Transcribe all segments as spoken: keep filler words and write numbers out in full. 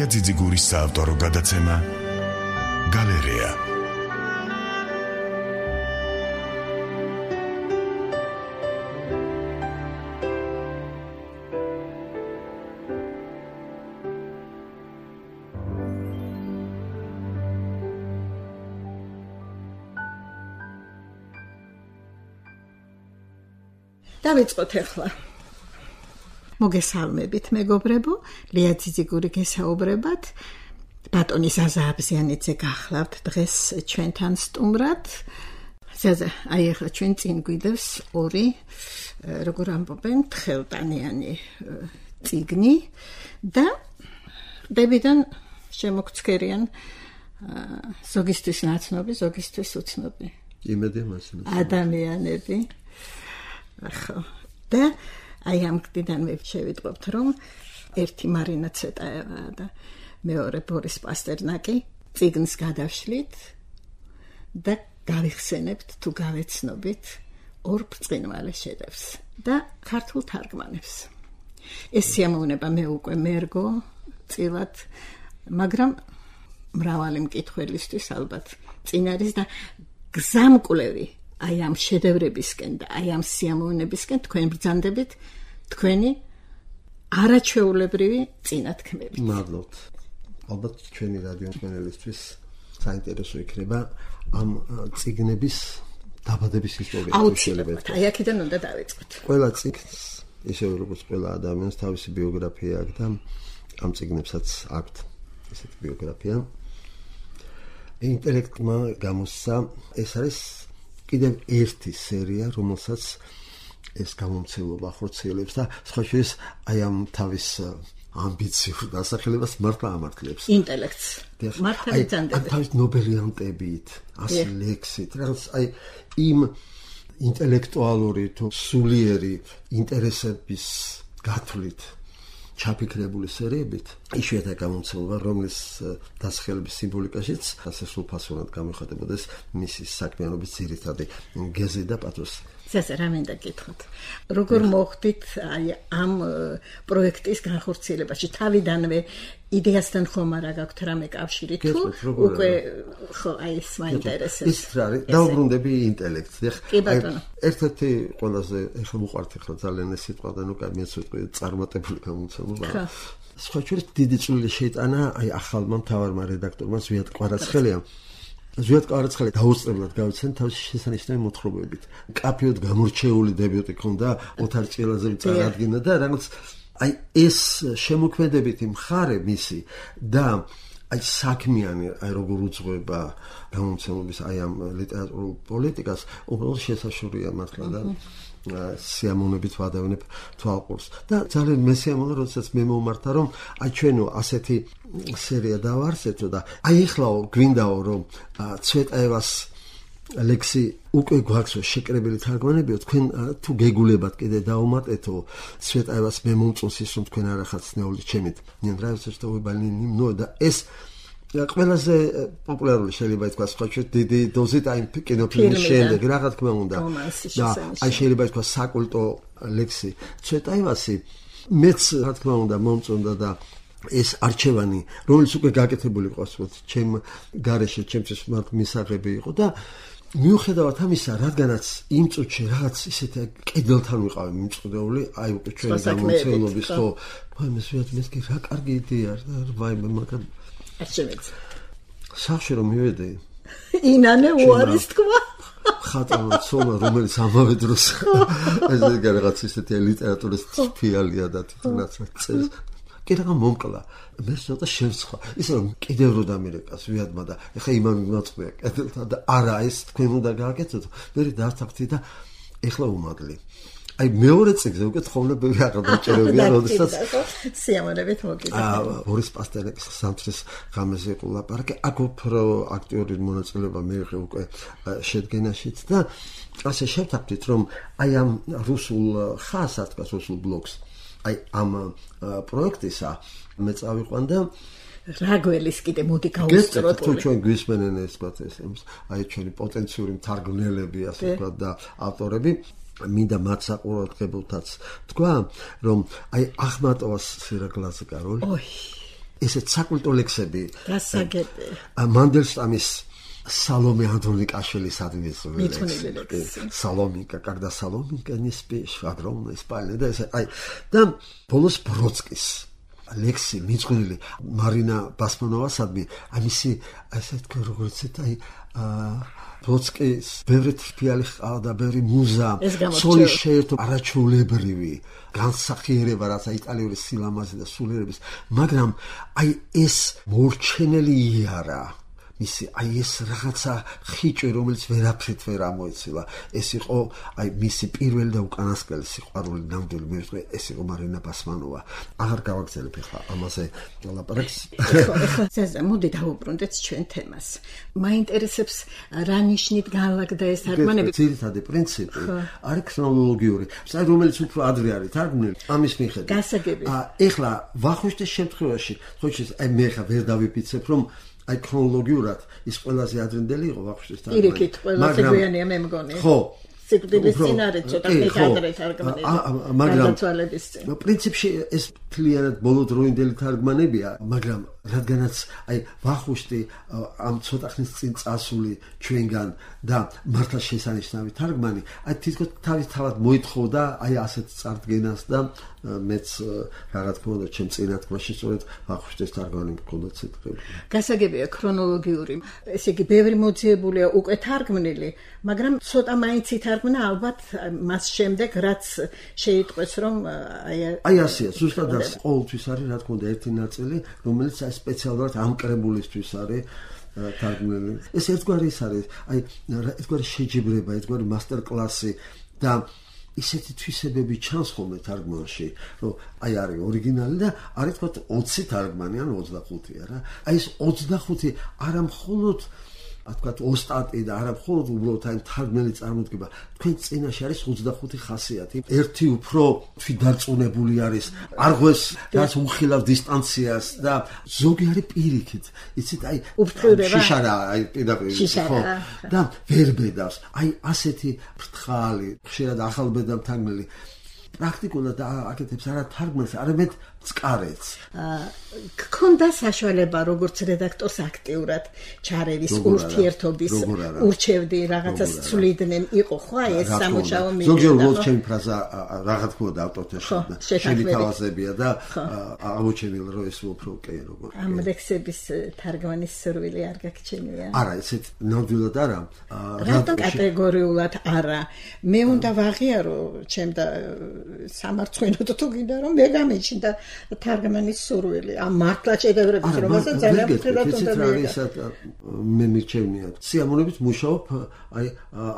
ლია ძიძიგურის საავტორო გადაცემა გალერეა. დავიწყოთ ახლა. მოგესალმებით მეგობრებო, ლია ძიძიგური გესაუბრებათ. ბატონი ზაზა აბზიანიძე გახლავთ დღეს ჩვენთან სტუმრად. ზაზა, აი ახლა ჩვენ წინ გვიდევს ორი, როგორ ამბობენ, თხელტანიანი წიგნი და დებიდან შემოგცქერიან ზოგისთვის ნაცნობი, ზოგისთვის უცნობი იმედი მასინა ადამიანები. ახლა და აი ამ კიდანვე შევიტყობთ, რომ ერთი მარინა ცეტაევაა და მეორე ბორის პასტერნაკი წიგნს გადავშლით და გავიხსენებთ თუ გავეცნობით ორ ბრწყინვალე შედევრს და ქართულ თარგმანებს. ეს სიამოვნება მე უკვე მერგო წილად, მაგრამ მრავალი მკითხველისთვის ალბათ წინ არის და გზამკვლევი აი ამ შედევრებისკენ და აი ამ სიამოვნებისკენ თქვენ ბრძანდებით თქვენი არაჩვეულებრივი წინათქმებით. მადლობთ. ალბათ ჩვენი რადიო მსმენელისთვის საინტერესო იქნება ამ წიგნების დაბადების ისტორია. აუცილებლად. აი აქედან უნდა დავიწყოთ. ყველა წიგნს, ისე როგორც ყველა ადამიანს თავისი ბიოგრაფია აქვს და ამ წიგნებსაც აქვთ ესეთი ბიოგრაფია. ინტელექტმა გამოსცა, ეს არის კიდევ ერთი სერია, რომელსაც ეს გამომცემლობა ხორციელებს და სხვა შორის აი ამ თავის ამბიციურ დასახელებას მართლა ამართლებს. ინტელექტს. მართლა იწანდებს. თავის ნობელიანტებით, ასი ლექსით, რაღაც აი იმ ინტელექტუალური თუ სულიერი ინტერესების გათვლით ჩაფიქრებული სერიებით, იშვიათად გამომცემლობა, რომლის დასახელების სიმბოლიკაშიც ასე სრულფასოვნად გამოიხატებოდეს მისი საქმიანობის ძირითადი გეზი და პათოსი. ზაზა, რა მინდა გითხრათ? როგორ მოხდით აი ამ პროექტის განხორციელებაში? თავიდანვე იდეასთან ხომ არა გაქვთ რამე კავშირი თუ უკვე ხო აი ეს მაინტერესებს. ის რა არის? დაუბრუნდები ინტელექტს. კი ბატონო. ერთ-ერთი ყველაზე ეხლა მოყვართ ახლა ძალიან ეს სიტყვა და ნუ კამი ეს სიტყვა წარმატებული გამომცემლობა. სხვა შორის დიდი წვლილი შეიტანა აი ახალმა მთავარმა რედაქტორმა ზვიად კვარაცხელიამ. ზვიად კვარაცხელი დაუსწრებლად გავიცენ თავის შესანიშნავი მოთხრობებით. კაფეოდ გამორჩეული დებიუტი ჰქონდა ოთარ ჭილაძემ წარადგინა და რაღაც აი ეს შემოქმედებითი მხარე მისი და აი საქმიანი აი როგორ უძღვება გამომცემლობის აი ამ ლიტერატურულ პოლიტიკას უბრალოდ შესაშურია მართლა და სიამოვნებით ვადევნებ თვალყურს და ძალიან მესიამოვნე როდესაც მე მომმართა რომ აი ჩვენო ასეთი სერია დავარსეთო და აი ეხლაო გვინდაო რომ ცვეტაევას ლექსი უკვე გვაქვსო შეკრებილი თარგმანებიო, თქვენ თუ გეგულებათ კიდე დაუმატეთო ცვეტაევას მე მომწონს ის რომ თქვენ არახართ ცნეული ჩემით ნიანდრაევსა და უბალინი ნო და ეს ყველაზე პოპულარული შეიძლება ითქვას სხვა ჩვენ დიდი დოზით აი კინოფილმის შემდეგ რა თქმა უნდა და აი შეიძლება ითქვას საკულტო ლექსი ცვეტაევასი მეც რა თქმა უნდა მომწონდა და ეს არჩევანი რომელიც უკვე გაკეთებული ყავს ჩემ გარეშე ჩემთვის მართ მისაღები იყო და მიუხედავად ამისა რადგანაც იმ წუთში რაღაც ისეთი კედელთან ვიყავი მიმწყდეული აი უკვე ჩვენი გამომცემლობის ხო მაინც მეც კი რა კარგი იდეაა და ვაიმე მაგრამ არჩევით სახში რომ მივედი ინანე უარის თქვა ხატალო ცოლა რომელიც ამავე დროს ეს რაღაც ისეთი ლიტერატურის ფიალია და თვითონაც წერს კი რაღაც მომკლა მე ცოტა შევსხვა ისე რომ კიდევ რო დამირეკას ვიადმა და ეხა იმან მაწყვია კედელთან და არა ეს თქვენ უნდა გააკეთოთ მე დავთანხმდი და ეხლა უმადლი აი მეორე წიგნზე უკვე თხოვნები აღარ დაჭერებია როდესაც სიამოვნებით მოგიძახა აა ბორის პასტერნაკის სამთრის ღამეზე იყო ლაპარაკი აქ უფრო აქტიური მონაწილეობა მიიღე უკვე შედგენაშიც და ასე შევთანხმდით რომ აი ამ რუსულ ხას ათქას რუსულ ბლოგს აი ამ პროექტისა მე წავიყვან და რაგველის კიდე მოდი გავუსწროთ თუ ჩვენ გვისმენენ ეს პატეს აი ჩვენი პოტენციური მთარგმნელები ასე ვთქვათ და ავტორები მინდა მათ საყურადღებოთაც თქვა რომ აი ახმატოვას სირაგლაზე კაროლი ესეც საკულტო ლექსები. გასაგები. მანდელშტამის Salome Andronikašelis admițului lex. Salominka, когда Salominka не спишь, огромная спальня, да, ай, там Полос Бродскис, Алексей Мицкунили, Марина Басманова садми, а миси, а сет коргурцет, ай, Бродскис, ბევრი თრფიალი ყავდა, ბევრი მუზა, სოლის შეერთო არაჩვეულებრივი განსახიერება, რაც იტალიური სილამაზე და სულიერების, მაგრამ აი ეს მორჩენელი იარა მისი აი ეს რაღაცა ხიჭვი რომელიც ვერაფრით ვერ ამოეცილა ეს იყო აი მისი პირველი და უკანასკნელი სიყვარული ნამდვილი მე ვიტყვი ეს იყო მარინა ბასმანოვა აღარ გავაგრძელებ ახლა ამაზე ლაპარაკს ზაზა მოდი დავუბრუნდეთ ჩვენ თემას მაინტერესებს რა ნიშნით განლაგდა ეს თარგმანები ძირითადი პრინციპი არის ქრონოლოგიური საერთოდ რომელიც უფრო ადრე არის თარგმნილი ამის მიხედვით გასაგები ახლა ვახუშტის შემთხვევაში ხო ის აი მე ხა ვერ დავიფიცებ რომ აი ქრონოლოგიურად ის ყველაზე ადრინდელი იყო ვახუშტის თარგმანი. პირიქით ყველაზე გვიანია მე მგონი. ხო. სიკვდილის წინ არის ცოტა ადრე თარგმანები. მაგრამ გადაცვალების წინ. პრინციპში ეს მთლიანად ბოლო დროინდელი თარგმანებია, მაგრამ რადგანაც აი ვახუშტი ამ ცოტა ხნის წინ წასული ჩვენგან და მართლა შესანიშნავი თარგმანი, აი თითქოს თავის თავად მოითხოვდა აი ასეთ წარდგენას და მეც რაღაც მქონდა ჩემ წინათქმაში სწორედ ვახუშტის თარგმანი მქონდა ციტირებული. გასაგებია ქრონოლოგიური. ესე იგი ბევრი მოძიებულია უკვე თარგმნილი, მაგრამ ცოტა მაინც ითარგმნა ალბათ მას შემდეგ რაც შეიტყვეს რომ აი აი ასეა ზუსტად ასე ყოველთვის არის რა თქმა უნდა ერთი ნაწილი რომელიც აი სპეციალურად ამ კრებულისთვის არის თარგმნილი. ეს ერთგვარი ის არის აი ერთგვარი შეჯიბრება, ერთგვარი მასტერკლასი და ისეთი თვისებები ჩანს ხოლმე თარგმანში, რომ აი არის ორიგინალი და არის თქვა ოცი თარგმანი ან ოცდახუთი არა. აი ეს ოცდახუთი არა მხოლოდ თქვა ოსტატი და არა მხოლოდ უბრალოდ აი თარგმნელი წარმოდგება. თქვენ წინაშე არის ოცდახუთი ხასიათი. ერთი უფრო თვი დარწმუნებული არის, არღვეს რაც უხილავს დისტანციას და ზოგი არის პირიქით. იცით აი შიშარა აი პირდაპირ ხო და ვერ ბედავს. აი ასეთი ფრთხალი, ხშირად ახალბედა თარგმნელი პრაქტიკულად აკეთებს არა თარგმანს, არამედ წყარეთს. გქონდა საშუალება როგორც რედაქტორს აქტიურად ჩარევის ურთიერთობის ურჩევდი რაღაცას ცვლიდნენ იყო ხო აი ეს სამუშაო მინდა. ზოგიერთ როლს ჩემი ფრაზა რაღაც ქონდა ავტორთა შემითავაზებია და აღმოჩენილა რომ ეს უფრო კი როგორ. ამ ლექსების თარგმანის სურვილი არ გაგჩენია. არა, ესეთ ნამდვილად არა. რატომ კატეგორიულად არა? მე უნდა ვაღიარო ჩემ და სამარცხვინოდ თუ გინდა რომ მე გამეჩნდა თარგმანის სურვილი. ამ მართლა შედევრების რომელსაც ძალიან ფრთხილად უნდა მიიღო. მე მიჩვენია. სიამოვნებით მუშაობ აი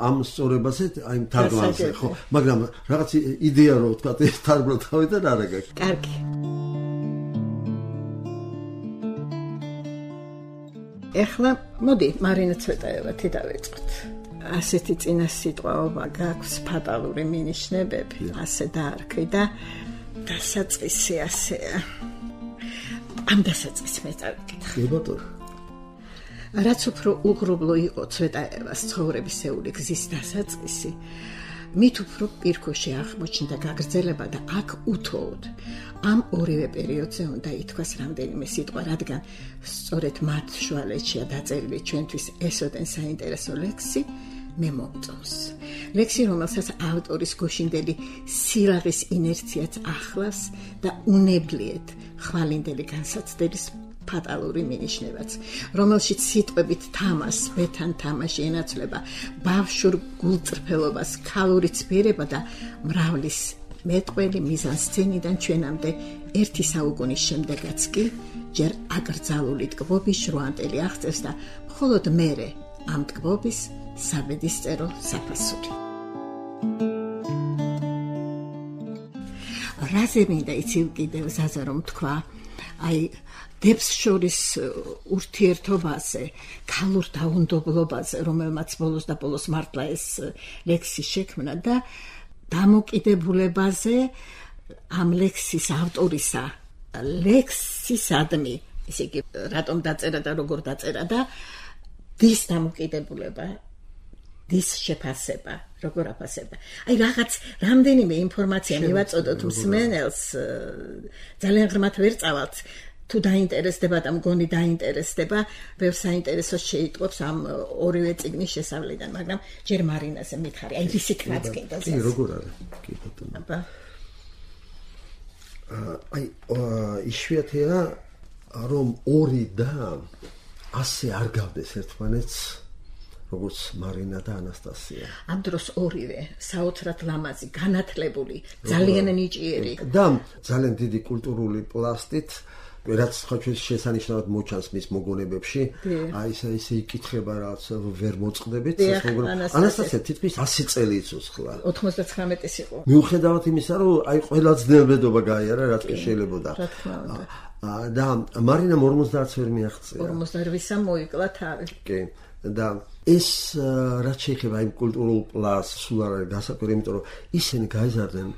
ამ სწორებაზე, აი თარგმანზე, ხო, მაგრამ რაღაც იდეა რო თქვა ეს თარგმნა თავიდან არა გაქვს. კარგი. ეხლა მოდი მარინა ცვეტაევათი დავიწყოთ. ასეთი წინა სიტყვაობა გაქვს ფატალური მინიშნებები, ასე დაარქვი და დასაწყისი ასეა. ამ დასაწყისს მე წავიკითხე. ბატონო. რაც უფრო უღრუბლო იყო ცვეტაევას ცხოვრებისეული გზის დასაწყისი, მით უფრო პირქოში აღმოჩნდა გაგრძელება და აქ უთოოდ ამ ორივე პერიოდზე უნდა ითქვას რამდენიმე სიტყვა, რადგან სწორედ მათ შუალედშია დაწერილი ჩვენთვის ესოდენ საინტერესო ლექსი მე მომწონს. ლექსი, რომელსაც ავტორის გოშინდელი სილაღის ინერციაც ახლავს და უნებლიეთ ხვალინდელი განსაცდელის ფატალური მინიშნებაც, რომელშიც სიტყვებით თამას, ბეთან თამაში ენაცვლება ბავშვურ გულწრფელობას, ქალური ცბიერება და მრავლის მეტყველი მიზანსცენიდან ჩვენამდე ერთი საუკუნის შემდეგაც კი ჯერ აკრძალული ტკბობის ჟღანტელი აღწევს და მხოლოდ მერე ამ ტკბობის საბედისწერო საფასური. რაზე მინდა იცი კიდევ ზაზა რომ თქვა, აი დებს შორის ურთიერთობაზე, ქალურ დაუნდობლობაზე, რომელმაც ბოლოს და ბოლოს მართლა ეს ლექსი შექმნა და დამოკიდებულებაზე ამ ლექსის ავტორისა, ლექსისადმი, ესე იგი, რატომ დაწერა და როგორ დაწერა და დის დამოკიდებულება, დის შეფასება, როგორ აფასება. აი რაღაც რამდენიმე ინფორმაცია მივაწოდოთ მსმენელს, ძალიან ღრმად ვერ წავალთ. თუ დაინტერესდება და მგონი დაინტერესდება, ბევრ საინტერესოს შეიტყობს ამ ორივე წიგნის შესავლიდან, მაგრამ ჯერ მარინაზე მითხარი, აი ისეთ რაც კიდევ. კი, როგორ არის? კი, ბატონო. აბა. აი, იშვიათია რომ ორი და ასე არ გავდეს ერთმანეთს, როგორც მარინა და ანასტასია. ამ დროს ორივე საოცრად ლამაზი, განათლებული, ძალიან ნიჭიერი და ძალიან დიდი კულტურული პლასტით, რაც ხოჩის შესანიშნავად მოჩანს მის მოგონებებში, აი ესე ისე იკითხება რაც ვერ მოწყდებით, ანასტასია თითქმის ასი წელი იცოცხლა. ოთხმოცდათხრამეტის იყო. მიუხედავად იმისა, რომ აი ყველა ძნელბედობა გაიარა, რაც კი შეიძლებოდა. რა თქმა უნდა. და მარინამ ორმოცდაათს ვერ მიაღწია. ორმოცდაოთხ მოიკლა თავი. კი. და ეს რაც შეეხება იმ კულტურულ პლასს სულ არ არის გასაკვირი, იმიტომ რომ ისინი გაიზარდნენ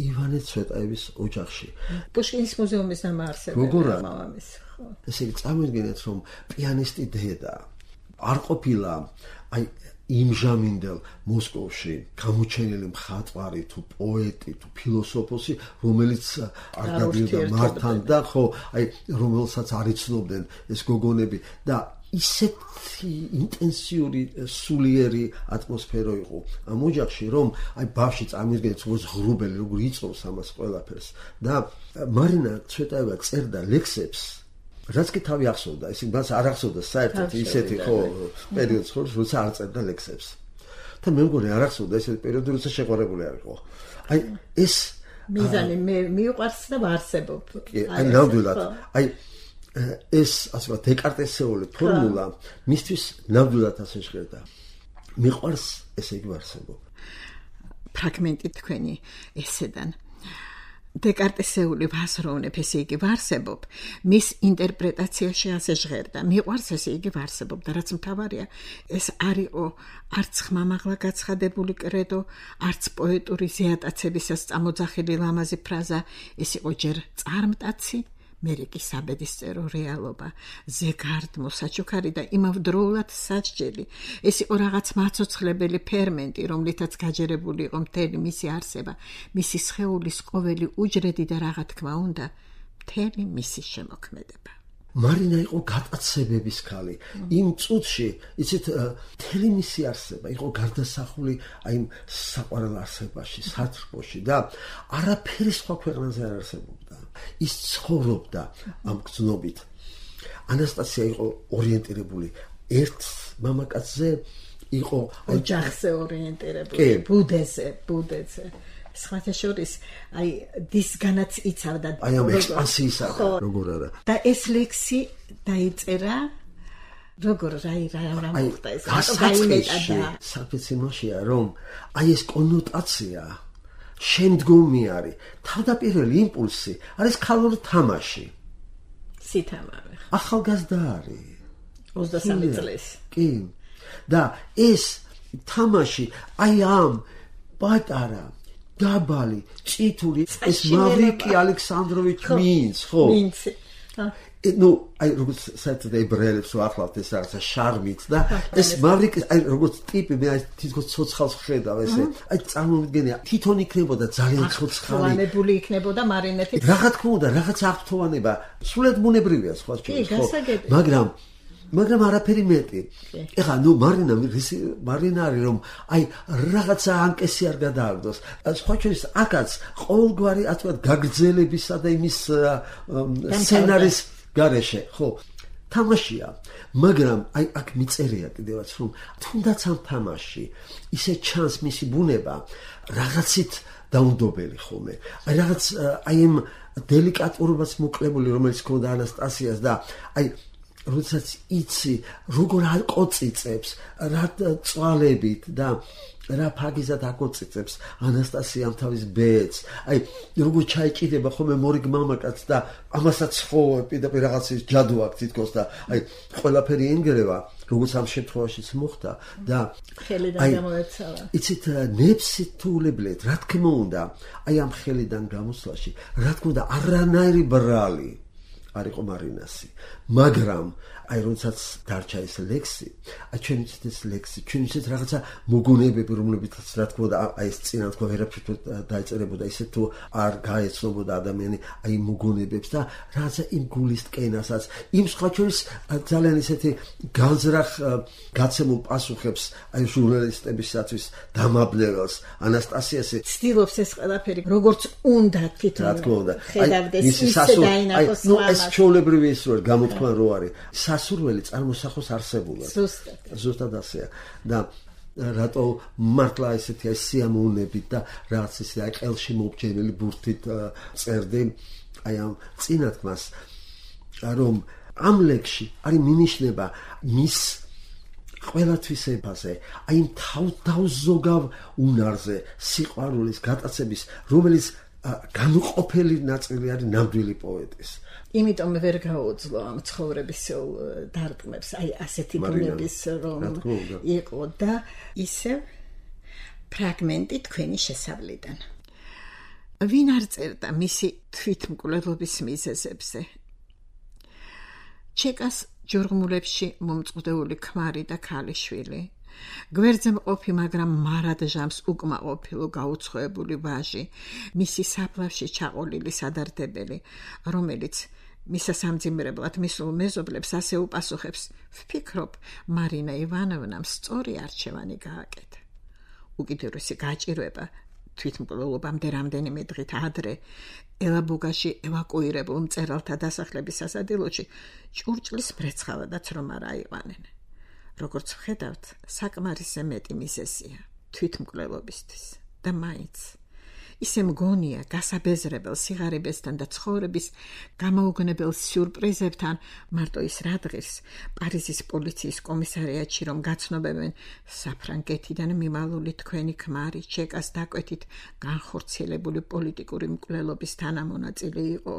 ივანე ცვეტაევის ოჯახში. პუშკინის მუზეუმის დამაარსებელი მამამის. ესე იგი წამოიდგინეთ, რომ პიანისტი დედა არ ყოფილა აი იმჟამინდელ მოსკოვში გამოჩენილი მხატვარი თუ პოეტი თუ ფილოსოფოსი, რომელიც არ გადიოდა მართან და ხო, აი რომელსაც არ იცნობდნენ ეს გოგონები და ისეთი ინტენსიური სულიერი ატმოსფერო იყო ამ ოჯახში, რომ აი ბავშვი წამიდგენთ როგორც ღრუბელი, როგორ იწოვს ამას ყველაფერს და მარინა ცვეტაევა წერდა ლექსებს, რაც კი თავი ახსოვდა, ისინი მას არ ახსოვდა საერთოდ ისეთი ხო პერიოდს, ხო, როცა არ წერდა ლექსებს. და მე მგონი არ ახსოვდა ესეთი პერიოდი, როცა შეყვარებული არ იყო. აი ეს მიზანი მე მიყვარს და ვარსებობ. აი ნამდვილად. აი ეს ასე ვთქვათ დეკარტესეული ფორმულა მისთვის ნამდვილად ასე ჟღერდა. მიყვარს, ესე იგი ვარსებობ. ფრაგმენტი თქვენი ესედან დეკარტესეული ვასროვნებ, ესე იგი ვარსებობ, მის ინტერპრეტაციაში ასე ჟღერდა. მიყვარს, ესე იგი ვარსებობ და რაც მთავარია, ეს არ იყო არც ხმამაღლა გაცხადებული კრედო, არც პოეტური ზეატაცებისას წამოძახილი ლამაზი ფრაზა, ეს იყო ჯერ წარმტაცი, მერე კი საბედისწერო რეალობა, ზეგარდმო, საჩუქარი და იმავდროულად საჭჭელი. ეს იყო რაღაც მაცოცხლებელი ფერმენტი, რომლითაც გაჯერებული იყო მთელი მისი არსება, მისი სხეულის ყოველი უჯრედი და რა თქმა უნდა, მთელი მისი შემოქმედება. მარინა იყო გატაცებების ქალი. იმ წუთში, იცით, მთელი მისი არსება იყო გარდასახული აი იმ საყვარელ არსებაში, სათრბოში და არაფერი სხვა ქვეყნაზე არ არსებობდა. ის ცხოვრობდა ამ გრძნობით. ანასტასია იყო ორიენტირებული ერთ მამაკაცზე, იყო ოჯახზე ორიენტირებული, ბუდეზე, ბუდეზე. სხვათა შორის, აი დისგანაც იცავდა აი ამ ექსპანსიისა, როგორ არა. და ეს ლექსი დაიწერა როგორ რაი რა რა მოხდა ეს გაიმეტა და საფეცინოშია, რომ აი ეს კონოტაცია შემდგომი არის. თავდაპირველი იმპულსი არის ქალური თამაში. სითამარე. ახალგაზრდა არის. ოცდასამი წლის. კი. და ეს თამაში აი ამ პატარა დაბალი, წითური, ეს მავრიკი ალექსანდროვიჩ მინც, ხო? მინცი. ну, აი როგორც საერთოდ ებრაელებს ვახლავთ ეს რაღაცა შარმით და ეს მავრიკი აი როგორც ტიპი მე აი თითქოს ცოცხალს ხედავ ესე. აი წარმოვიდგენია, თვითონ იქნებოდა ძალიან ცოცხალი. ახთოვანებული იქნებოდა მარინეთი. რა თქმა უნდა, რაღაც აღთოვანება, სულად ბუნებრივია სხვა შორის, ხო? მაგრამ მაგრამ არაფერი მეტი. ეხლა ნუ მარინა მარინა არის რომ აი რაღაცა ანკესი არ გადააგდოს. სხვა შორის აქაც ყოველგვარი ასე ვთქვათ გაგრძელებისა და იმის სცენარის გარეშე, ხო? თამაშია, მაგრამ აი აქ მიწერია კიდევაც რომ თუნდაც ამ თამაში ისე ჩანს მისი ბუნება რაღაცით დაუნდობელი ხოლმე. აი რაღაც აი იმ დელიკატურობას მოკლებული, რომელიც ჰქონდა ანასტასიას და აი როდესაც იცი როგორ აკოწიწებს რა წვალებით და რა ფაგიზად აკოწიწებს ანასტასიამ თავის ბედს, აი როგორ ჩაიჭიდება ხოლმე მორიგ მამაკაცს და ამასაც ხო პირდაპირ რაღაცის ჯადო აქვს თითქოს და აი ყველაფერი ენგრევა, როგორც ამ შემთხვევაშიც მოხდა და ხელიდან გამოეცალა. იცით ნებსითულებლად, რა თქმა უნდა, აი ამ ხელიდან გამოსვლაში, რა თქმა უნდა, არანაირი ბრალი არ იყო მარინასი. მაგრამ აი როდესაც დარჩა ეს ლექსი, აი ჩვენ ვიცით ეს ლექსი, ჩვენ ვიცით რაღაცა მოგონებები, რომლებითაც რა თქმა უნდა აი ეს წინა თქო ვერაფერ დაეწერებოდა ისე თუ არ გაეცნობოდა ადამიანი აი მოგონებებს და რაღაცა იმ გულის ტკენასაც, იმ სხვა შორის ძალიან ისეთი განზრახ გაცემულ პასუხებს აი ჟურნალისტებისათვის დამაბნეველს ანასტასიასი ცდილობს ეს ყველაფერი როგორც უნდა თვითონ რა თქმა უნდა ხედავდეს ისე დაინახოს ნუ ეს ჩვეულებრივი ის რო გამოთქმა რო არის სასურველი წარმოსახოს არსებულად ზუსტად ზუსტად ასეა და რატო მართლა ესეთი აი სიამოვნებით და რაღაც ისე აი ყელში მობჯენილი ბურთით წერდი აი ამ წინათქმას რომ ამ ლექსში არის მინიშნება მის ყველათვის ეფაზე აი ამ თავდაუზოგავ უნარზე სიყვარულის გატაცების რომელიც განუყოფელი ნაწილი არის ნამდვილი პოეტის იმიტომ ვერ გაუძლო ამ ცხოვრების დარგმებს აი ასეთი ბუნების რომ იყო და ისევ ფრაგმენტი თქვენი შესავლიდან ვინ არ წერდა მისი თვითმკვლელობის მიზეზებზე ჩეკას ჯორღმულებში მომწყვდეული ქმარი და ქალიშვილი გვერდზე მყოფი მაგრამ მარადჟამს უკმაყოფილო გაუცხოებული ვაჟი მისი საფლავში ჩაყოლილი სადარდებელი რომელიც მისა სამძიმრებლად მისულ მეზობლებს ასე უპასუხებს ვფიქრობ მარინა ივანოვნამ სწორი არჩევანი გააკეთა უკიდურესი გაჭირვება თვითმკვლელობამდე რამდენიმე დღით ადრე ელაბუგაში ევაკუირებულ მწერალთა დასახლების სასადილოში ჭურჭლის მრეცხავადაც რომ არ აიყვანენ როგორც ვხედავთ საკმარისზე მეტი მიზეზია თვითმკვლელობისთვის და მაინც ისე მგონია გასაბეზრებელ სიღარიბესთან და ცხოვრების გამოუგნებელ სიურპრიზებთან მარტო ის რადღირს პარიზის პოლიციის კომისარიატში რომ გაცნობებენ საფრანგეთიდან მიმალული თქვენი ქმარი ჩეკას დაკვეთით განხორციელებული პოლიტიკური მკვლელობის თანამონაწილე იყო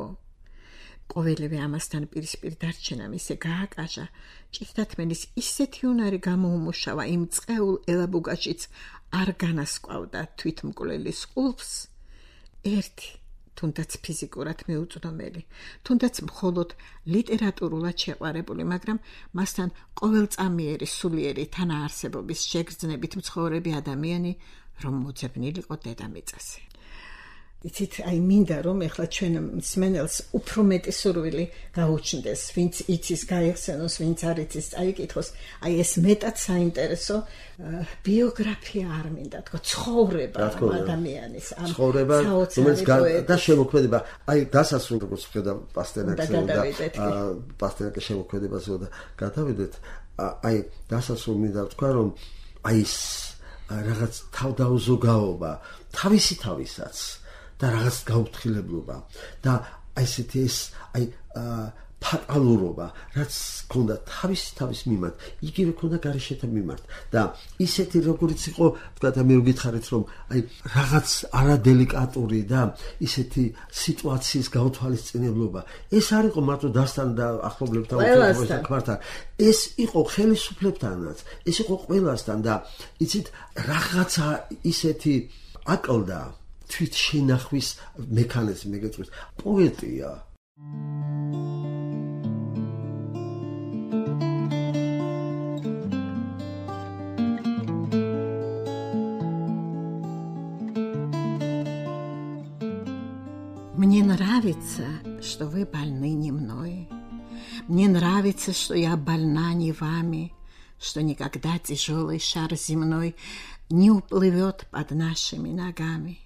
ყოველივე ამასთან პირისპირ დარჩენამ ისე გააკაჟა ჭირთათმენის ისეთი უნარი გამოუმუშავა იმ წყეულ ელაბუგაშიც არ განასკვავდა თვითმკვლელის ყულფს ერთი თუნდაც ფიზიკურად მიუწვდომელი თუნდაც მხოლოდ ლიტერატურულად შეყვარებული მაგრამ მასთან ყოველწამიერი სულიერი თანაარსებობის შეგრძნებით მცხოვრები ადამიანი რომ მოძებნილიყო დედამიწაზე იცით აი მინდა რომ ეხლა ჩვენ მსმენელს უფრო მეტი სურვილი გაუჩნდეს ვინც იცის გაიხსენოს ვინც არ იცის წაიკითხოს აი ეს მეტად საინტერესო ბიოგრაფია არ მინდა თქო ცხოვრება ადამიანის ამ ცხოვრება რომელიც და შემოქმედება აი დასასრულ როგორც ხედავ პასტერნაკს და პასტერნაკის შემოქმედებაზე და გადავიდეთ აი დასასრულ მინდა თქვა რომ აი ეს რაღაც თავდაუზოგაობა თავისი თავისაც და რაღაც გაუფრთხილებლობა და აი ესეთი ეს აი ფატალურობა რაც ქონდა თავის თავის მიმართ იგივე ქონდა გარეშეთა მიმართ და ისეთი როგორც იყო თქვა და მე ვგითხარით რომ აი რაღაც არადელიკატური და ისეთი სიტუაციის გაუთვალისწინებლობა ეს არ იყო მარტო დასთან და ახლობლებთან უთხრობასთან ეს იყო ხელისუფლებთანაც ეს იყო ყველასთან და იცით რაღაცა ისეთი აკლდა თვით შენახვის მექანიზმი გეტყვის პოეტია Мне нравится, что вы больны не мной. Мне нравится, что я больна не вами, что никогда тяжелый шар земной не уплывет под нашими ногами.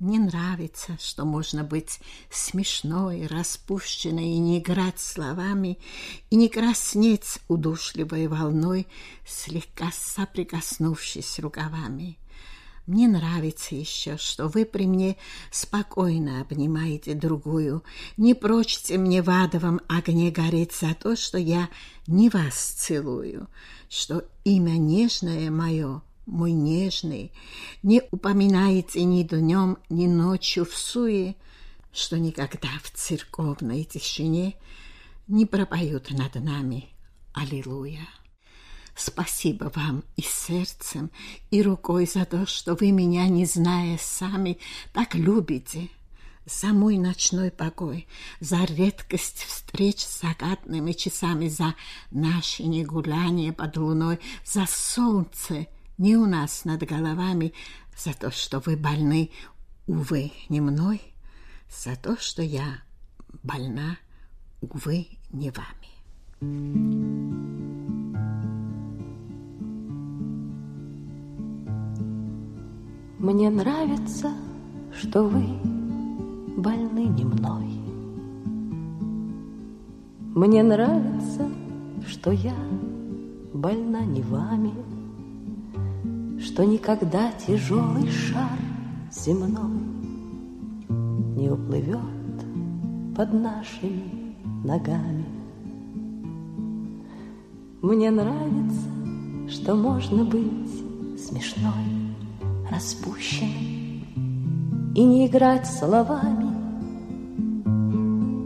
Мне нравится, что можно быть смешной, распущенной и не играть словами, и не краснеть удушливой волной, слегка соприкоснувшись рукавами. Мне нравится еще, что вы при мне спокойно обнимаете другую, не прочите мне в адовом огне гореть за то, что я не вас целую, что имя нежное мое, мой нежный, не упоминаете ни днем, ни ночью в суе, что никогда в церковной тишине не пропоют над нами Аллилуйя. Спасибо вам и сердцем, и рукой за то, что вы меня, не зная сами, так любите, за мой ночной покой, за редкость встреч закатными часами, за наши негуляния под луной, за солнце не у нас над головами, за то, что вы больны, увы, не мной, за то, что я больна, увы, не вами. Мне нравится, что вы больны не мной. Мне нравится, что я больна не вами, что никогда тяжелый шар земной не уплывет под нашими ногами. Мне нравится, что можно быть смешной, распущенной и не играть словами,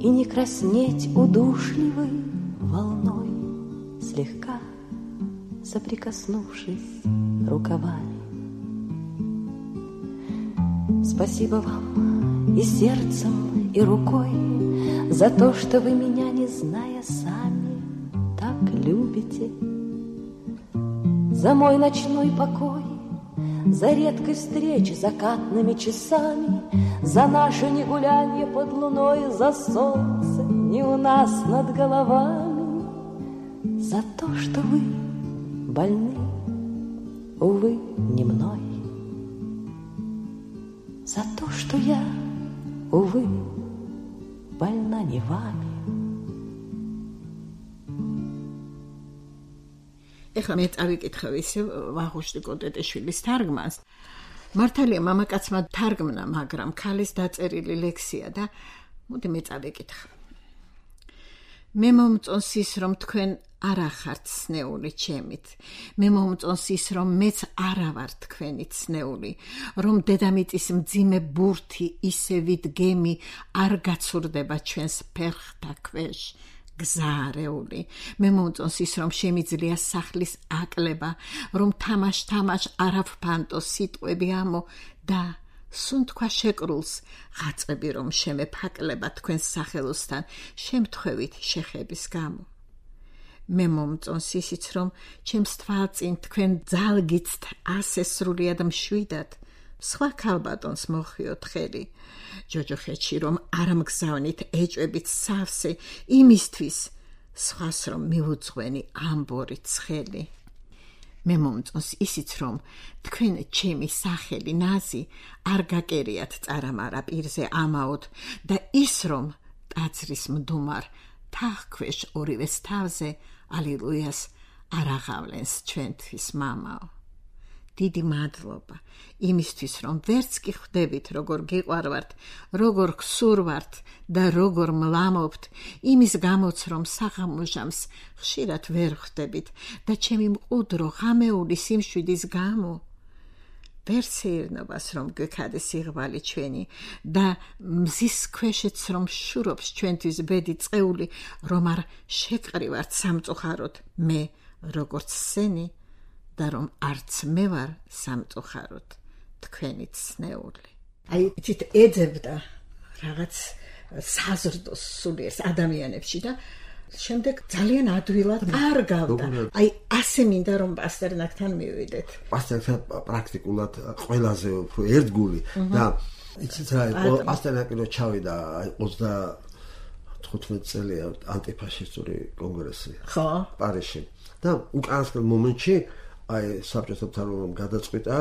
и не краснеть удушливой волной, слегка соприкоснувшись рукавами. Спасибо вам и сердцем, и рукой за то, что вы меня, не зная сами, так любите, за мой ночной покой, за редкость встречи закатными часами, за наше негулянье под луной, за солнце не у нас над головами, за то, что вы больны, увы, не мной, за то, что я, увы, больна не вами. ეხლა მე წავიკითხავ ისე ვაღუშტი კოტეტეშვილის თარგმანს. მართალია მამაკაცმა თარგმნა, მაგრამ ქალის დაწერილი ლექსია და მოდი მე წავიკითხავ. მე მომწონს ის, რომ თქვენ არ ახართ ცნეული ჩემით. მე მომწონს ის, რომ მეც არა ვარ თქვენი ცნეული, რომ დედამიწის მძიმე ბურთი ისევით გემი არ გაცურდება ჩვენს ფერხთა ქვეშ. გზარეული. მე მომწონს ის, რომ შემიძლია სახლის აკლება, რომ თამაშ-თამაშ არ ავფანტო სიტყვები ამო და სუნთქვა შეკრულს ღაწები, რომ შემეფაკლება თქვენს სახელოსთან შემთხვევით შეხების გამო. მე მომწონს ისიც, რომ ჩემს თვალწინ თქვენ ძალგიცთ ასე სრულიად მშვიდად, სხვა ქალბატონს მოხვიოთ ხელი. ჯოჯოხეთში რომ არ მგზავნით ეჭვებით სავსე, იმისთვის სხვას რომ მიუძღვენი ამბორი ცხელი. მე მომწონს ისიც, რომ თქვენ ჩემი სახელი ნაზი არ გაკერიათ წარამარა პირზე ამაოდ და ის რომ ტაძრის მდუმარ თაღქვეშ ორივეს თავზე ალილუიას არ აღავლენს ჩვენთვის მამაო. დიდი მადლობა იმისთვის, რომ ვერც კი ხვდებით, როგორ გიყვარვართ, როგორ გსურვართ და როგორ მლამობთ, იმის გამოც, რომ საღამოჟამს ხშირად ვერ ხვდებით და ჩემი მყუდრო ღამეული სიმშვიდის გამო ვერ სეირნობას, რომ გვექადეს სიღრმავე ჩვენი და მზის ქვეშეც რომ შურობს ჩვენთვის ბედი წეული, რომ არ შეკრივართ სამწუხაროდ მე როგორც სენი და რომ არც მე ვარ სამწუხაროდ თქვენი ცნეული. აი იცით ეძებდა რაღაც საზრდოს სულიერს ადამიანებში და შემდეგ ძალიან ადვილად კარგავდა. აი ასე მინდა რომ პასტერნაკთან მივიდეთ. პასტერნაკთან პრაქტიკულად ყველაზე უფრო ერთგული და იცით რა პასტერნაკი რო ჩავიდა აი ოცდათხუთმეტ წელია ანტიფაშისტური კონგრესი. ხო, პარიზში. და უკანასკნელ მომენტში აი საბჭოთა მთავრობამ გადაწყვიტა,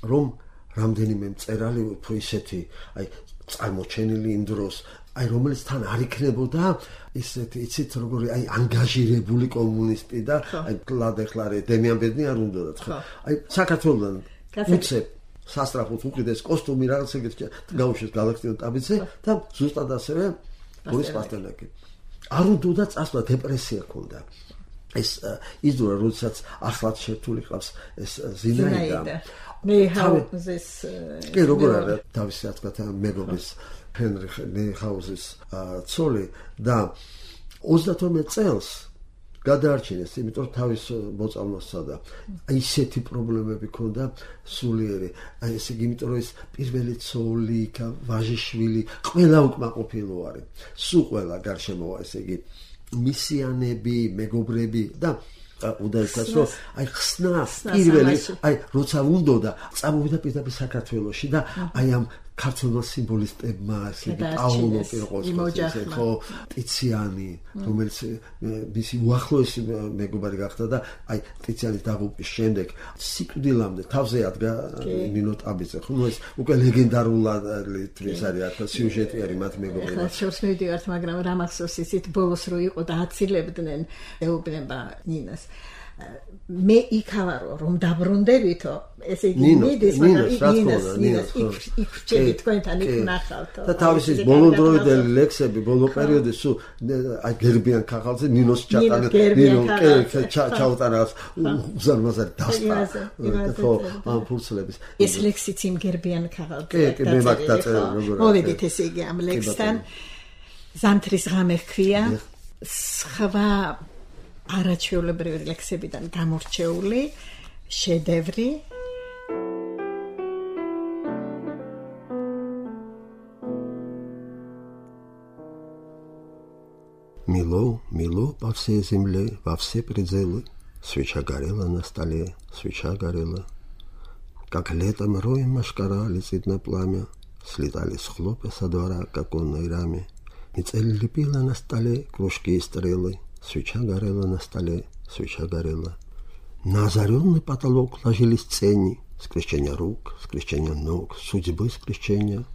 რომ რამდენიმე მწერალი უფრო ისეთი, აი წარმოჩენილი იმ დროს, აი რომელიც თან არ იქნებოდა ისეთი, იცით როგორი აი ანგაჟირებული კომუნისტი და აი კლადეხლარე დემიან ბედნი არ უნდათ ხო? აი საქართველოსთან უცებ სასტრაფოდ უყიდეს კოსტუმი რაღაც ეგეთი გაუშვეს გალაქტიონ ტაბიცე და ზუსტად ასევე ბორის პასტერნაკი. არ უნდა წასვლა, დეპრესია ჰქონდა. ეს იზრა, როდესაც ახლად შერთული ყავს ეს ზინაიდა. ნეიჰაუზის კი როგორ არა თავისი რა თქმა უნდა მეგობრის ჰენრიხ ნეიჰაუზის ცოლი და ოცდათორმეტ წელს გადაარჩინეს, იმიტომ რომ თავის მოწამვლა სცადა. აი ისეთი პრობლემები ქონდა სულიერი. აი ესე იგი, იმიტომ რომ ეს პირველი ცოლი, ვაჟიშვილი, ყველა უკმაყოფილო არის. სულ ყველა გარშემოა, ესე იგი, მისიანები, მეგობრები და უდაიცას რომ აი ხსნა პირველი აი როცა უნდოდა წამოვიდა პირდაპირ საქართველოში და აი ამ ქართულ სიმბოლისტებმა ესე პაულო პიროყოსკოძე ხო ტიციანი რომელიც მისი უახლოესი მეგობარი გახდა და აი ტიციანის დაღუპვის შემდეგ სიკვდილამდე თავზე ადგა ნინო ტაბიძე ხო ნუ ეს უკვე ლეგენდარული თვლის არის ახლა სიუჟეტი არის მათ მეგობრებთან ახლა შორს მივიდივართ მაგრამ რა მახსოვს ისეთ ბოლოს რო იყო და აცილებდნენ ეუბნება ნინას მე იქავარო რომ დაბრუნდებითო ესე იგი მიდის მაგრამ ნინას ნინას იქ ჩები თქვენთან იქ ნახავთო და თავისი ბოლოდროიდელი ლექსები ბოლო პერიოდი სულ აი გერბიან ქაღალდზე ნინოს ჩატანე ნინო კე ჩაუტარავს უზარმაზარი დასტა ხო ამ ფურცლების ეს ლექსიც იმ გერბიან ქაღალდზე კი კი მე მაგ დაწერე როგორ მოვედით ესე იგი ამ ლექსთან ზამთრის ღამე ჰქვია სხვა არაჩვეულებრივი ლექსებიდან გამორჩეული შედევრი Мило, мило по всей земле, во все пределы, свеча горела на столе, свеча горела. Как летом роем машкара летит на пламя, слетали с хлопья со двора к оконной раме. И цель лепила на столе кружки и стрелы, свеча горела на столе, свеча горела. На озаренный потолок ложились тени, скрещения рук, скрещения ног, судьбы скрещения.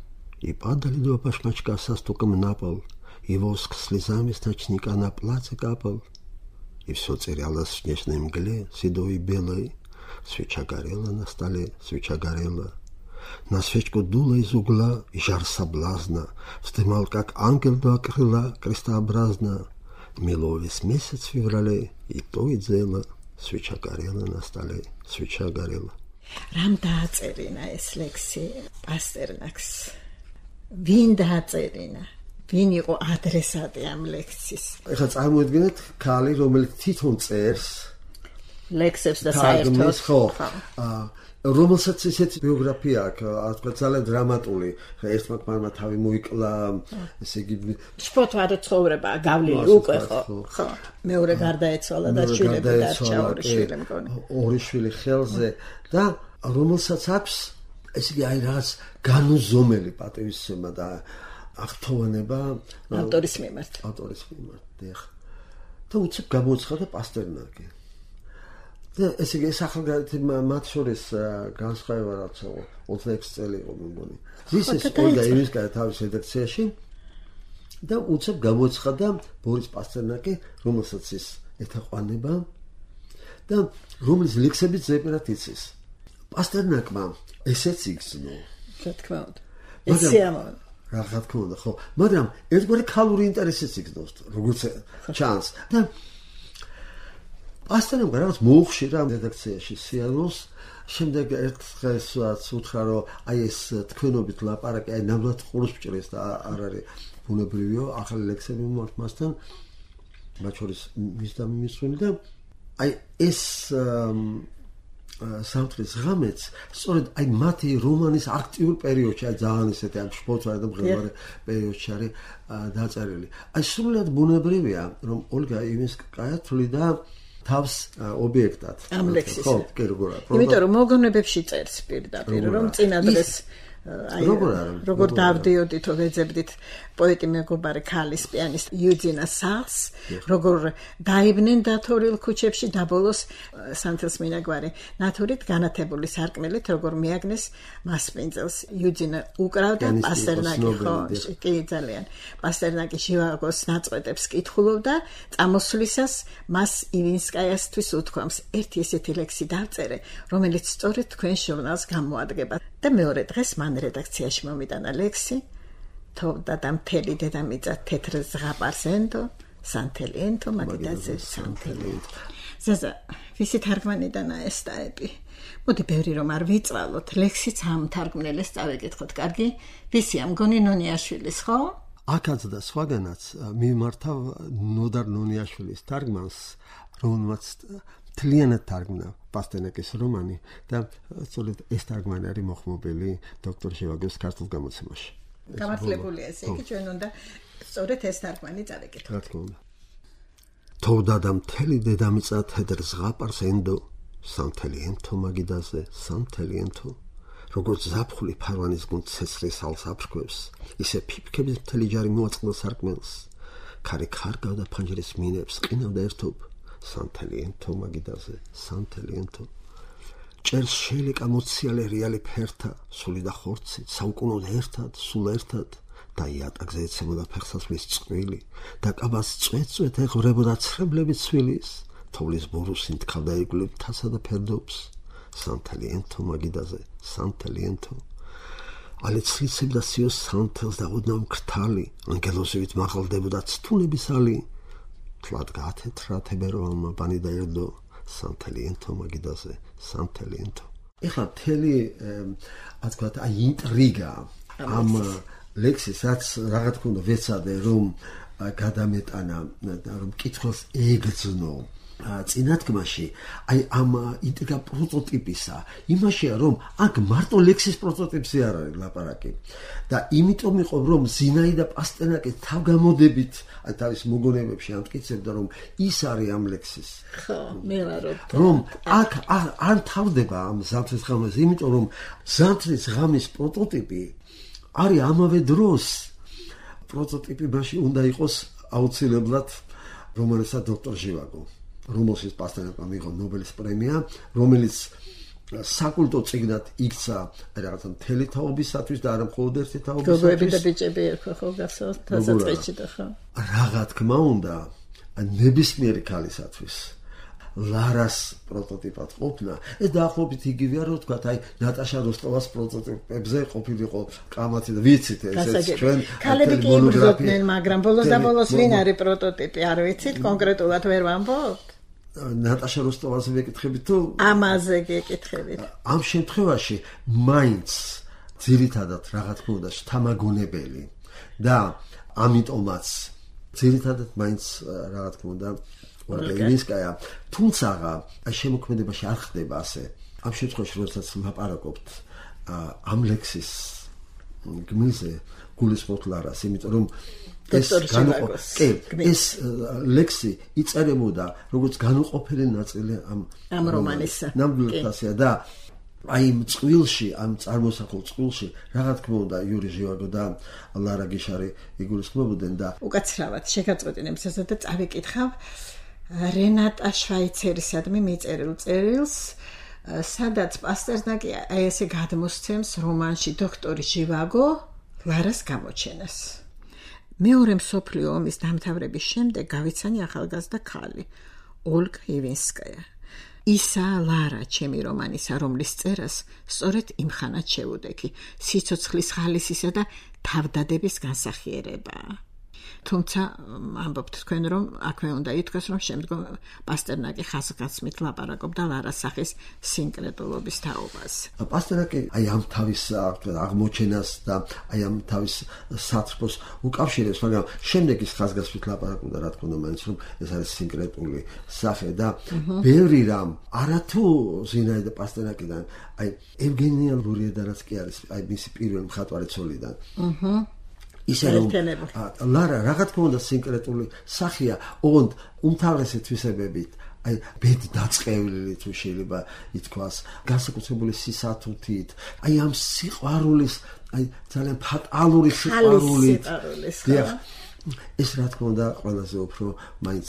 И падали два башмачка со стуком на пол, и воск слезами с ночника на платье капал. И все терялось в снежной мгле, седой и белой. Свеча горела на столе, свеча горела. На свечку дуло из угла, и жар соблазна вздымал, как ангел два крыла, крестообразно. Мило весь месяц в феврале, и то и дело. Свеча горела на столе, свеча горела. Рам დააწერინა ეს ლექსი პასტერნაკს. Ვინ დააწერინა? Ვინ იყო ადრესატი ამ ლექსის? ეხლა წარმოიდგინეთ ქალი, რომელიც თვითონ წერს ლექსებს და საერთოდ ხო. აა რომელსაც ისეთი ბიოგრაფია აქვს, თქვა ძალიან დრამატული. ერთმა ქმარმა თავი მოიკლა, ესე იგი სპორტვარო ცხოვრება გავლილი უკვე ხო. ხო. მეორე გარდაეცვალა და შვილები დარჩა ორი შვილი მგონი. ორი შვილი ხელზე და რომელსაც აქვს ესე იგი აი რაღაც განუზომელი პატივისცემა და აღთოვანება ავტორის მიმართ. ავტორის მიმართ, დიახ. და უცებ გამოცხადა პასტერნაკი. და ესე იგი ეს ახალგაზრდა მათ შორის განსხვავება რაც ოცდაექვსი წელი იყო მე მგონი. ზისის ოლგა ივინსკაია თავის რედაქციაში და უცებ გამოცხადა ბორის პასტერნაკი, რომელსაც ის ეთაყვანება და რომლის ლექსებიც ზეპირად იცის. პასტერნაკმა ესეც იგრძნო. რა თქმა უნდა. ესეამო რა თქმა უნდა, ხო, მაგრამ ერთგვარი ქალური ინტერესიც იგრძნობს, როგორც ჩანს. და პასტერნაკმა რაღაც მოუხშირა რედაქციაში სიარულს, შემდეგ ერთხელაც უთხრა, რომ აი ეს თქვენობით ლაპარაკი, აი ნამდვილად ყურს მჭირეს და არ არის ბუნებრივიო, ახალი ლექსები მომართ მასთან, მათ შორის მის და მიმისვენი და აი ეს სამთრის ღამეც სწორედ აი მათი რომანის აქტიურ პერიოდში აი ძალიან ისეთი ამ სპორტვარ და მღერვარე პერიოდში არის დაწერილი. აი სრულად ბუნებრივია რომ ოლგა ივინსკაია თვლიდა თავს ობიექტად. ამ ლექსის. ხო, კი როგორ არის. იმიტომ რომ მოგონებებში წერს პირდაპირ რომ წინადრეს აი როგორ დავდიოდით თუ ვეძებდით პოეტი მეგობარი ქალის პიანისტ იუძინა სას როგორ დაიბნენ დათორილ ქუჩებში და ბოლოს სანთელს მინაგვარი ნათურით განათებული სარკმელით როგორ მიაგნეს მასპინძელს იუძინა უკრავდა პასტერნაკი ხო კი ძალიან პასტერნაკი შივაგოს ნაწყვეტებს კითხულობდა წამოსვლისას მას ივინსკაიასთვის უთქვამს ერთი ესეთი ლექსი დავწერე რომელიც სწორედ თქვენ ჟურნალს გამოადგება და მეორე დღეს მან რედაქციაში მომიტანა ლექსი თოვდა და მთელი დედამიწა თეთრ ზღაპარს ენდო სანთელენთო მაგიდაზე სანთელენთო ზაზა ვისი თარგმანიდანა ეს ტაიპი მოდი ბევრი რომ არ ვიწვალოთ ლექსიც ამ თარგმნელს წავეკითხოთ კარგი ვისია მგონი ნონიაშვილის ხო აქაც და სხვაგანაც მიმართავ ნოდარ ნონიაშვილის თარგმანს რომელმაც თლიანად თარგმნა პასტერნაკის რომანი და სწორედ ეს თარგმანი არის მოხმობილი დოქტორ ჟევაგოს ქართულ გამოცემაში. გამართლებულია ესე იგი ჩვენ უნდა სწორედ ეს თარგმანი წავიკითხოთ. რა თქმა უნდა. თოვდა და მთელი დედამიწა თედრ ზღაპარს ენდო სამთელიანთო მაგიდაზე სამთელიანთო როგორც ზაფხული ფარვანის გუნდ ცეცხლის ალს აფრქვევს ისე ფიფქების მთელი ჯარი მოაწყდა სარკმელს ქარი ხარგავდა ფანჯრის მინებს ყინავდა ერთობ სამთელიანთო მაგიდაზე სამთელიანთო ჭერს შეელეკა მოციალე რეალი ფერთა სული და ხორცი საუკუნოდ ერთად სულ ერთად და იატაკზე ეცემოდა ფეხსაცმლის წყვილი და კაბას წვეწვეთ ეღვრებოდა ცრებლები ცვილის თოვლის ბურუსი თქავდა იგლებ თასა და ფერდობს სამთელიანთო მაგიდაზე სამთელიანთო ალეცლიცებდა სიოს სამთელს და ოდნავ მკრთალი ანგელოზივით მაღალდებოდა ცთუნების ალი თლად გაათეთრა თებერვალმა ბანი დაერდო სამთელიანთო მაგიდაზე სამთელიანთო ეხლა მთელი ასე ვთქვათ აი ინტრიგა ამ ლექსის რაც რა თქმა უნდა ვეცადე რომ გადამეტანა რომ კითხავს ეგრძნო წინათქმაში აი ამ ინტრიგა პროტოტიპისა იმაშია რომ აქ მარტო ლექსის პროტოტიპი არ არის ლაპარაკი და იმიტომ იყო რომ ზინაიდა პასტერნაკი თავგამოდებით აი თავის მოგონებებში ამტკიცებდა რომ ის არის ამ ლექსის ხო მე ვარო რომ აქ არ თავდება ამ ზამთრის ღამეს იმიტომ რომ ზამთრის ღამის პროტოტიპი არის ამავე დროს პროტოტიპი მაშინ უნდა იყოს აუცილებლად რომელსაც დოქტორ ჟევაგო რომელშიც პასტერნაკმა მიიღო ნობელის პრემია რომელიც საკულტო წიგნად იქცა რაღაცა მთელი თაობისათვის და არა მხოლოდ ერთი თაობისათვის გოგოები და ბიჭები ერქვა ხო გასავთ დასაწყისში და ხო რა თქმა უნდა ნებისმიერი ქალისათვის ლარას პროტოტიპად ყოფნა ეს დაახლოებით იგივეა რომ თქვა აი ნატაშა როსტოვას პროტოტიპებზე ყოფილიყო კამათი და ვიცით ეს ჩვენ ქალები კი იბრძოდნენ მაგრამ ბოლოს და ბოლოს ვინ არის პროტოტიპი არ ვიცით კონკრეტულად ვერ ვამბობთ ნატაშა როსტოვაზე ვეკითხებით თუ ამაზე გეკითხებით ამ შემთხვევაში მაინც ძირითადად რა თქმა უნდა შთამაგონებელი და ამიტომაც ძირითადად მაინც რა თქმა უნდა ორგანიზკაია თუმცა აი შემოქმედებაში არ ხდება ასე ამ შემთხვევაში როდესაც ლაპარაკობთ ამ ლექსის გმირზე გულისხმობთ ლარას იმიტომ რომ ეს განუყოფელი ეს ლექსი იწერებოდა როგორც განუყოფელი ნაწილი ამ ამ რომანისა ნამდვილად და აი იმ წყვილში ამ წარმოსახულ წყვილში რა თქმა უნდა იური ჟევაგო და ლარა გიშარი იგულისხმობდნენ და უკაცრავად შეგაწყვეტინებს ესა და წავიკითხავ რენატა შვაიცერისადმი მიწერილ წერილს სადაც პასტერნაკი აი ესე გადმოსცემს რომანში დოქტორი ჟევაგო ლარას გამოჩენას მეორე მსოფლიო ომის დამთავრების შემდეგ გავიცანი ახალგაზრდა ქალი ოლგა ივინსკაია ისა ლარა ჩემი რომანისა რომლის წერას სწორედ იმ ხანად შევუდექი სიცოცხლის ხალისისა და თავდადების განსახიერებაა თუმცა ამბობთ თქვენ რომ აქვე უნდა ითქვას რომ შემდგომ პასტერნაკი ხაზგასმით ლაპარაკობდა ლარას სახის სინკრეტულობის თაობას პასტერნაკი აი ამ თავის აღმოჩენას და აი ამ თავის საწყოს უკავშირებს მაგრამ შემდეგ ის ხაზგასმით ლაპარაკობდა რა თქმა უნდა მაინც რომ ეს არის სინკრეტული სახე და ბევრი რამ არათუ ზინაიდა პასტერნაკიდან აი ევგენია ლურიედანაც კი არის აი მისი პირველი მხატვარი ცოლიდან აჰა ისე რომ ლარა რა თქმა უნდა სინკრეტული სახია ოღონდ უმთავრესი თვისებებით აი ბედი დაწყევლილი თუ შეიძლება ითქვას განსაკუთრებული სისათუთით აი ამ სიყვარულის აი ძალიან ფატალური სიყვარულით ეს რა თქმა უნდა ყველაზე უფრო მაინც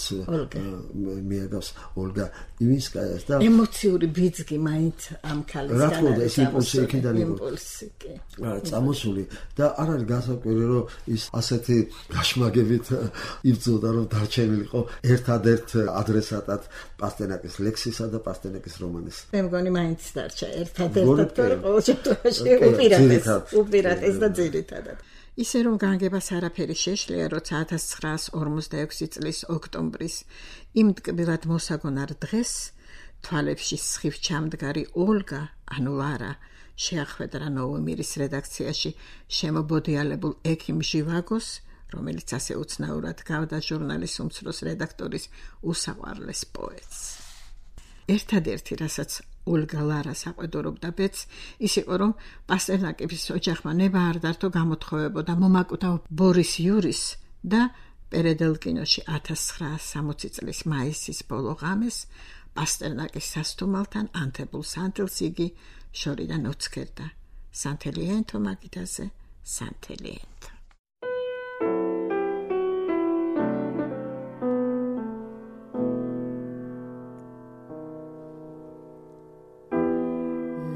მიაგავს ოლგა ივინსკაიას და ემოციური ბიძგი მაინც ამ ქალისგან რა თქმა უნდა ეს იმპულსი იქიდან იყო წამოსული და არ არის გასაკვირი რომ ის ასეთი გაშმაგებით იბრძოდა რომ დარჩენილიყო ერთადერთ ადრესატად პასტერნაკის ლექსისა და პასტერნაკის რომანის მე მგონი მაინც დარჩა ერთადერთად ყოველ შემთხვევაში უპირატეს უპირატეს და ძირითადად ისე რომ განგებას არაფერი შეშლია, როცა ათას ცხრაას ორმოცდაექვსი წლის ოქტომბრის იმ ტკბილად მოსაგონარ დღეს თვალებში სხივ ჩამდგარი ოლგა ანუ ლარა შეახვედრა ნოვო მირის რედაქციაში შემობოდიალებულ ექიმ ჟევაგოს რომელიც ასე უცნაურად გავდა ჟურნალის უმცროს რედაქტორის უსაყვარლეს პოეტს. ერთადერთი, რასაც ოლგა ლარას აყვედურობდა ბედს, ის იყო, რომ პასტერნაკების ოჯახმა ნება არ დართო გამოთხოვებოდა მომაკვდა ბორის იურის და პერედელკინოში ათას ცხრაას სამოცი წლის მაისის ბოლო ღამეს პასტერნაკის სასტუმალთან ანთებულ სანთელს იგი შორიდან ოცქერდა. სანთელიენთო მაგიდაზე, სანთელიენთო.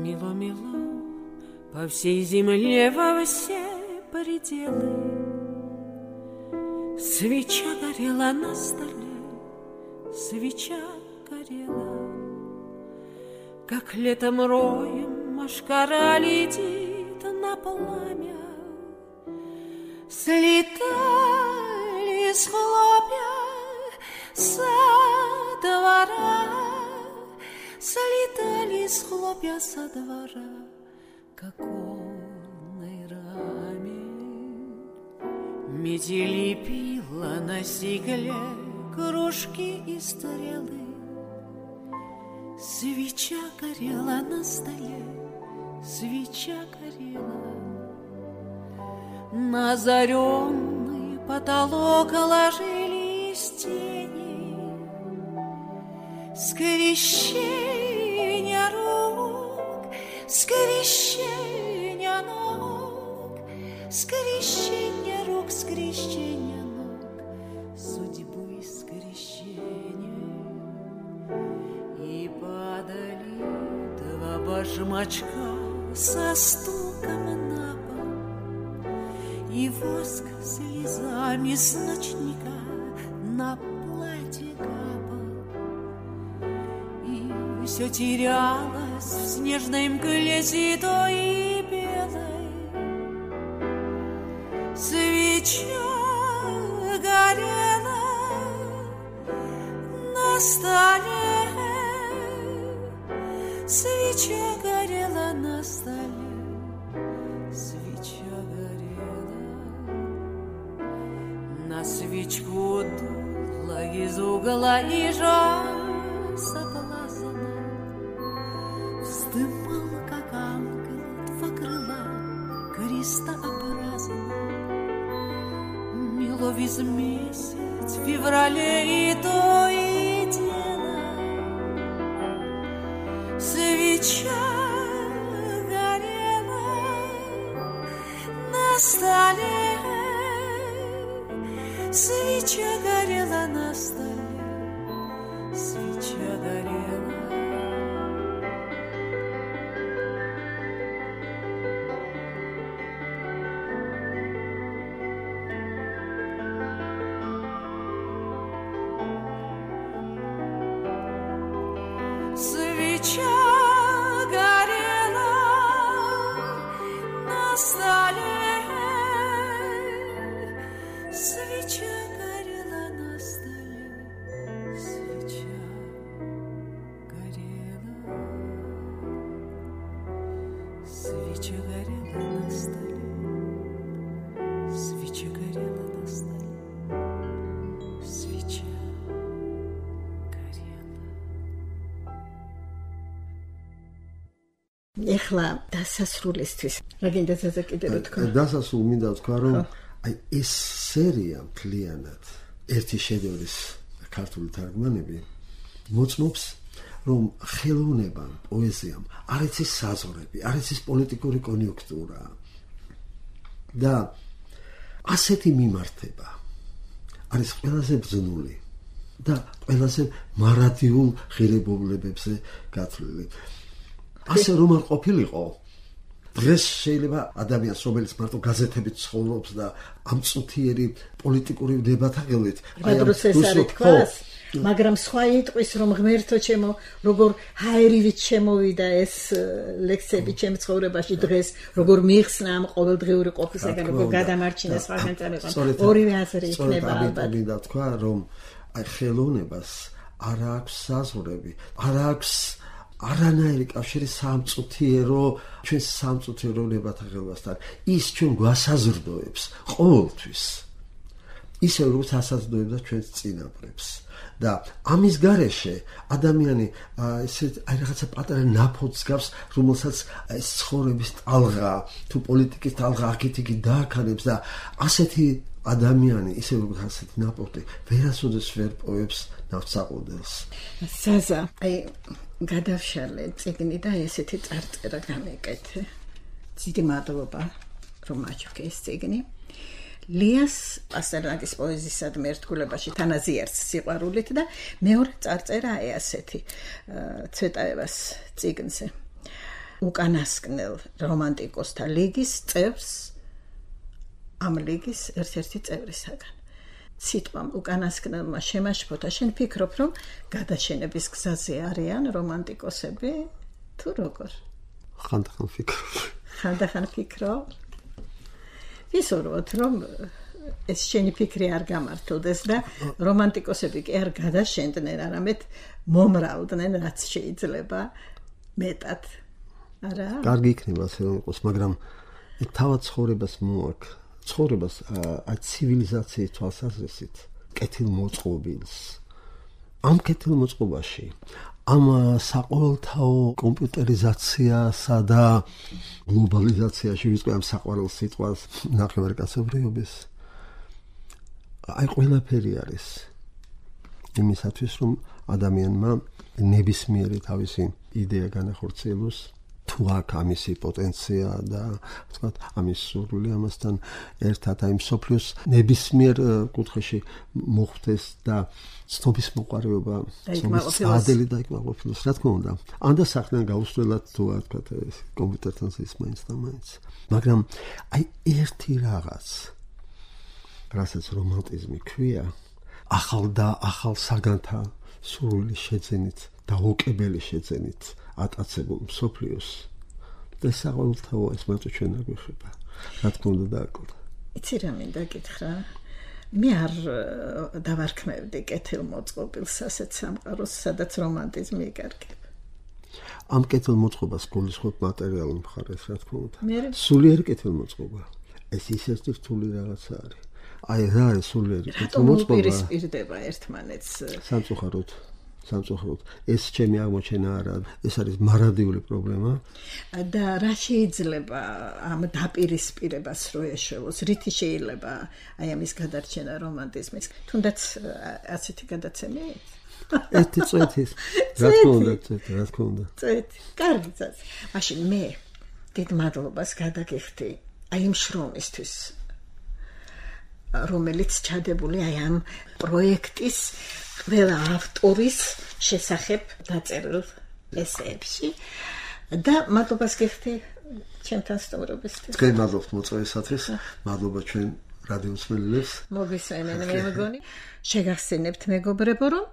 Мило-мило, по всей земле во все пределы свеча горела на столе, свеча горела, как летом роем машкара летит на пламя. Слетали с хлопья со двора, слетали с хлопья со двора к оконной раме. Метели пила на стекле кружки и стрелы. Свеча горела на столе, свеча горела. На озаренный потолок ложились тени. Скрещение рук, скрещение ног, скрещение рук, скрещение ног, судьбы скрещение. И падали два башмачка со стуком на пол, и воск слезами с ночника на платье капал. И все терялось в снежной мгле седой и белой. Свеча горела на столе, свеча горела на столе, свеча горела. На свечку дула из угла и жар соблазна. Вздымал, как ангел, два крыла крестообразно. Мело весь месяц в феврале и то и дело. Свеча горела на столе, свеча горела на столе, свеча горела. Свеча горела на столе, свеча горела на столе, свеча горела, свеча горела на столе, свеча горела на столе, свеча. ეხლა დასასრულისთვის რა გინდა ზაზა კიდე რა თქვა? დასასრულ მინდა თქვა რომ აი ეს სერია მთლიანად ერთი შედევრის ქართული თარგმანები მოწმობს რომ ხელოვნებამ, პოეზიამ არ იცის საზღვრები, არ იცის პოლიტიკური კონიუნქტურა და ასეთი მიმართება არის ყველაზე ბრძნული და ყველაზე მარადიულ ღირებულებებზე გათვლილი. ასე რომ არ ყოფილიყო დღეს შეიძლება ადამიანს რომელიც მარტო გაზეთებით ცხოვრობს და ამ წუთიერი პოლიტიკური დებატაღებით აი ამ რუსეთის მაგრამ სხვა იტყვის რომ ღმერთო ჩემო როგორ ჰაერივით შემოვიდა ეს ლექსები ჩემ ცხოვრებაში დღეს როგორ მიხსნა ამ ყოველდღიური ყოფისაგან როგორ გადამარჩინა სხვაგან წამეყო ორივე აზრი იქნება ალბათ მინდა თქვა რომ აი ხელოვნებას არ აქვს საზღვრები არ აქვს არანაირი კავშირი სამწუთიერო ჩვენ სამწუთიერო დებატაღებასთან ის ჩვენ გვასაზრდოებს ყოველთვის ისე როგორც ასაძლებდა ჩვენს წინაპრებს. და ამის გარეშე ადამიანი ესე აი რაღაცა პატარა ნაფოთს გავს, რომელსაც ეს ცხოვრების ტალღა თუ პოლიტიკის ტალღა აქეთ-იქ დააქანებს და ასეთი ადამიანი ისე როგორც ასეთი ნაფოთი ვერასოდეს ვერ პოვებს ნავთსაყუდელს. ზაზა, აი გადავშალე წიგნი და ესეთი წარწერა გამეკეთე. დიდი მადლობა რომ აჩვენე ეს წიგნი. ლიას პასტერნაკის პოეზიისადმი ერთგულებაში თანაზიარს სიყვარულით და მეორე წარწერა აი ასეთი ცვეტაევას წიგნზე. უკანასკნელ რომანტიკოსთა ლიგის წევრს ამ ლიგის ერთ-ერთი წევრისაგან. სიტყვამ უკანასკნელმა შემაშფოთა, შენ ფიქრობ, რომ გადაშენების გზაზე არიან რომანტიკოსები თუ როგორ? ხანდახან ფიქრობ. ხანდახან ფიქრობ? ვისურვოთ, რომ ეს შენი ფიქრი არ გამართლდეს და რომანტიკოსები კი არ გადაშენდნენ, არამედ მომრავლდნენ, რაც შეიძლება მეტად. არა? კარგი იქნება ასე რომ იყოს, მაგრამ თავად ცხოვრებას მოაქვს. ცხოვრებას აი ცივილიზაციის თვალსაზრისით კეთილმოწყობილს. ამ კეთილმოწყობაში ამ საყოველთაო კომპიუტერიზაციასა და გლობალიზაციაში ვიწყე ამ საყვარელ სიტყვას ნახევარკაცობრიობის აი ყველაფერი არის იმისათვის რომ ადამიანმა ნებისმიერი თავისი იდეა განახორციელოს თუ აქ ამისი პოტენცია და ვთქვათ ამის სურვილი ამასთან ერთად აი მსოფლიოს ნებისმიერ კუთხეში მოხვდეს და ცნობის მოყარეობა ადელი და იკმაყოფილოს რა თქმა უნდა ან და სახნან გაუსვლელად თუ ვთქვათ ეს კომპიუტერთან ის მაინც და მაინც მაგრამ აი ერთი რაღაც რასაც რომანტიზმი ქვია ახალ და ახალ საგანთა სურვილი შეძენით და ოკებელი შეძენით ატაცებულ მსოფლიოს და საყოველთაო ეს მარტო ჩვენ არ გვეხება რა თქმა უნდა დააკლდა იცი რა მინდა გითხრა მე არ დავარქმევდი კეთილმოწყობილს ასეთ სამყაროს სადაც რომანტიზმი იკარგება ამ კეთილმოწყობას გულისხმობ მატერიალურ მხარეს რა თქმა უნდა სულიერი კეთილმოწყობა ეს ისეთი რთული რაღაცა არის აი რა არის სულიერი კეთილმოწყობა რატომ უპირისპირდება ერთმანეთს სამწუხაროდ სამწუხაროდ ეს ჩემი აღმოჩენა არა ეს არის მარადიული პრობლემა და რა შეიძლება ამ დაპირისპირებას რო ეშველოს რითი შეიძლება აი ამის გადარჩენა რომანტიზმის თუნდაც ასეთი გადაცემი ერთი წვეთის რა თქმა უნდა წვეთი რა თქმა უნდა წვეთი კარგი წაც მაშინ მე დიდ მადლობას გადაგიხდი აი იმ შრომისთვის რომელიც ჩადებული აი ამ პროექტის ყველა ავტორის შესახებ დაწერილ ესეებში და მადლობას გიხდი ჩემთან სტუმრობისთვის. თქვენ მადლობთ მოწვევისათვის, მადლობა ჩვენ რადიოსმენელებს. მოგესალმებით მე მეგონი. შეგახსენებთ მეგობრებო, რომ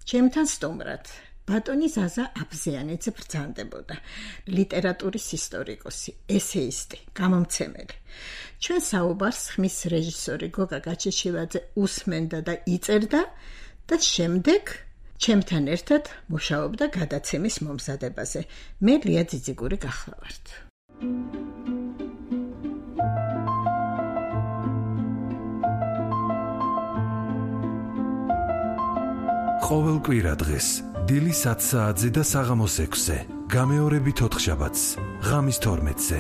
ჩემთან სტუმრად ბატონი ზაზა აბზიანიძე ბრძანდებოდა, ლიტერატურის ისტორიკოსი, ესეისტი, გამომცემელი. ჩვენ საუბარს ხმის რეჟისორი გოგა გაჩეჩილაძე უსმენდა და იწერდა და შემდეგ ჩემთან ერთად მუშაობდა გადაცემის მომზადებაზე. მე ლია ძიძიგური გახლავართ. ყოველ კვირა დღეს დილის ათ საათზე და საღამოს ექვსზე, გამეორებით ოთხშაბათს, ღამის თორმეტზე.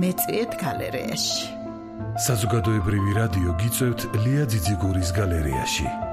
მეწვიეთ გალერეაში. საზოგადოებრივი რადიო გიწევთ ლია ძიძიგურის გალერეაში.